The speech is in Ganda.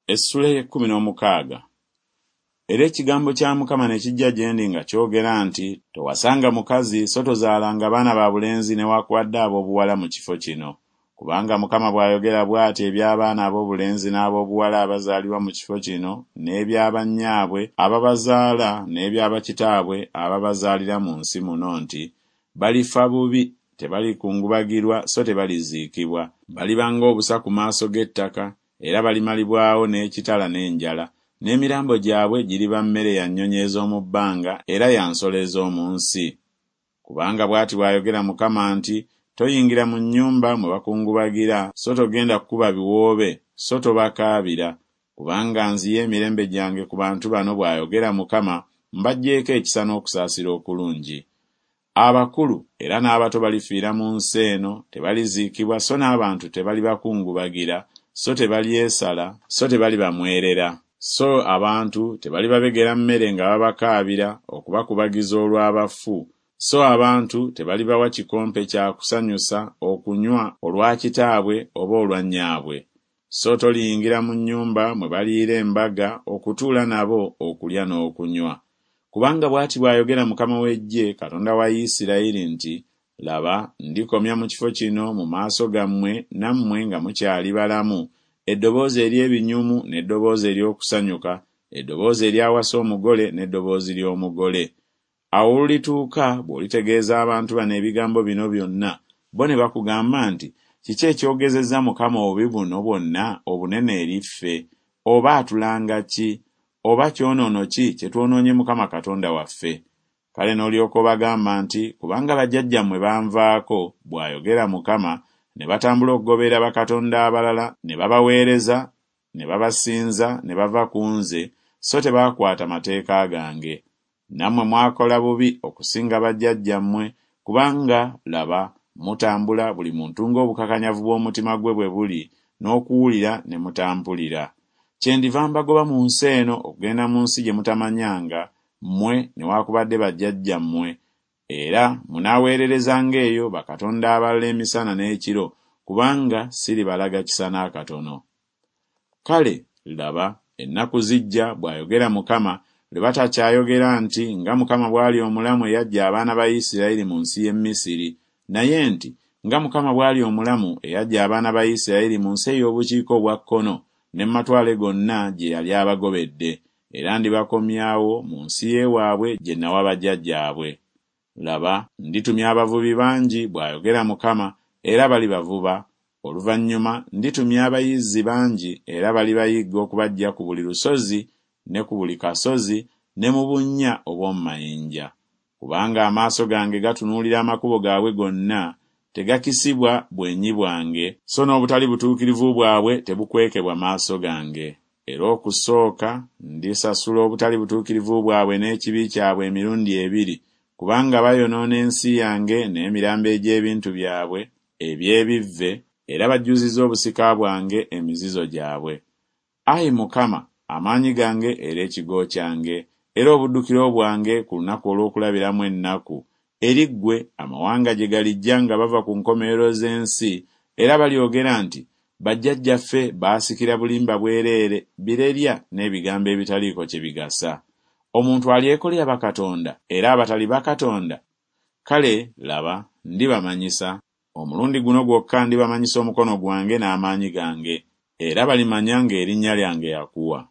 Essula ey'ekkumi n'omukaaga. Era ekigambo kya Mukama ne kijja gye ndi nga kyogera nti, Towasanga mukazi so tozaalanga baana ba bulenzi newakubadde ab'obuwala mu kifo kino. Kubanga Mukama bw'ayogera bw'ati eby'abaana ab'obulenzi n'ab'obuwala abazaalibwa mu kifo kino n'ebya bannyaabwe ababazaala n'ebya bakitaabwe ababazaalira mu nsi muno nti, Balifa bubi, tebalikungubagirwa so tebaliziikibwa, baliba ng'obusa ku maaso g'ettaka, era balimalibwawo n'ekitala n'enjala, n'emirambo gyabwe giriba mmere ya nnyonyi ez'omu bbanga era ya nsolo ez'omu nsi. Kubanga bw'ati bw'ayogera Mukama nti, Toyingira mu nnyumba mwe bakungubagira, so togenda kukuba biwoobe, so tobakaabira, kubanga nziye emirembe gyange ku bantu bano, bw'ayogera Mukama, mbaggyeeko ekisa n'okusaasira okulungi. Abakulu era n'abato balifiira mu nsi eno, tebaliziikibwa so n'abantu tebalibakungubagira, so tebalyesala, so tebalibamwerera. So abantu tebalibabegera mmere nga babakaabira, okubakubagiza olw'abafu, so abantu tebalibawa kikompe kya kusanyusa okunywa olwa kitaabwe oba olwa nnyaabwe. So toliyingira mu nnyumba mwe baliira embaga okutuula nabo okulya n'okunywa. Kubanga bw'ati bw'ayogera Mukama w'eggye, Katonda wa Isirayiri nti, Laba, ndikomya mu kifo kino mu maaso gammwe nammwe nga mukyali balamu, eddoboozi ery'ebinyumu n'eddoboozi ery'okusanyuka, eddoboozi ery'awasa omugole n'eddoboozi ly'omugole. Awo olulituuka bw'olitegeeza abantu bano ebigambo bino byonna, bo ne bakugamba nti, Kiki ekyogezezza Mukama obubi buno bwonna obunene eri ffe? Oba atulanga ki? Oba kyonoono ki kye twonoonye Mukama Katonda waffe? Kale n'olyoka obagamba nti, Kubanga bajjajjammwe banvaako, bw'ayogera Mukama, ne batambula okugoberera bakatonda abalala ne babaweereza ne babasinza ne bava ku nze, so tebaakwata mateeka gange. Nammwe mwakola bubi okusinga bajjajjammwe, kubanga, laba, mutambula buli muntu ng'obukakanyavu bw'omutima gwe bwe buli, n'okuwulira ne mutampulira. Kyendiva mbagoba mu nsi eno okugenda mu nsi gye mutamanyanga, mmwe newakubadde bajjajjammwe, era munaaweererezanga eyo bakatonda abalala emisana n'ekiro, kubanga siribalaga kisa n'akatono. Kale, laba, ennaku zijja, bw'ayogera Mukama, lwe batakyayogera nti, Nga Mukama bw'ali omulamu eyaggya abaana ba Isiraeri mu nsi y'e Misiri, naye nti, Nga Mukama bw'ali omulamu eyaggya abaana ba Isiraeri mu nsi ey'obukiika obwa kkono ne mu matwale gonna gye yali abagobedde, era ndibakomyawo mu nsi y'ewaabwe gye nawa bajjajjaabwe. Laba, nditumya abavubi bangi, bw'ayogera Mukama, era balibavuba, oluvannyuma nditumya abayizzi bangi, era balibayigga okubaggya ku buli lusozi ne ku buli kasozi ne mu bunnya obw'omu mayinja. Kubanga amaaso gange gatunuulira amakubo gaabwe gonna, tegakisibwa bwenyi bwange, so n'obutali butuukirivu bwabwe tebukwekebwa maaso gange. Era okusooka ndisasula obutali butuukirivu bwabwe n'ekibi kyabwe emirundi ebiri, kubanga bayonoona ensi yange n'emirambo egy'ebintu byabwe eby'ebivve, era bajjuzizza obusika bwange emizizo gyabwe. Ayi Mukama, amaanyi gange era ekigo kyange, era obuddukiro bwange ku lunaku olw'okulabiramu ennaku, eri ggwe amawanga gye galijja nga bava ku nkomerero z'ensi, era balyogera nti, Bajjajjaffe baasikira bulimba bwereere, birerya n'ebigambo ebitaliiko kye bigasa. Omuntu alyekolera bakatonda era abatali bakatonda? Kale, laba, ndibamanyisa, omulundi guno gwokka ndibamanyisa omukono gwange n'amaanyi gange, era balimanya ng'erinnya lyange Yakuwa.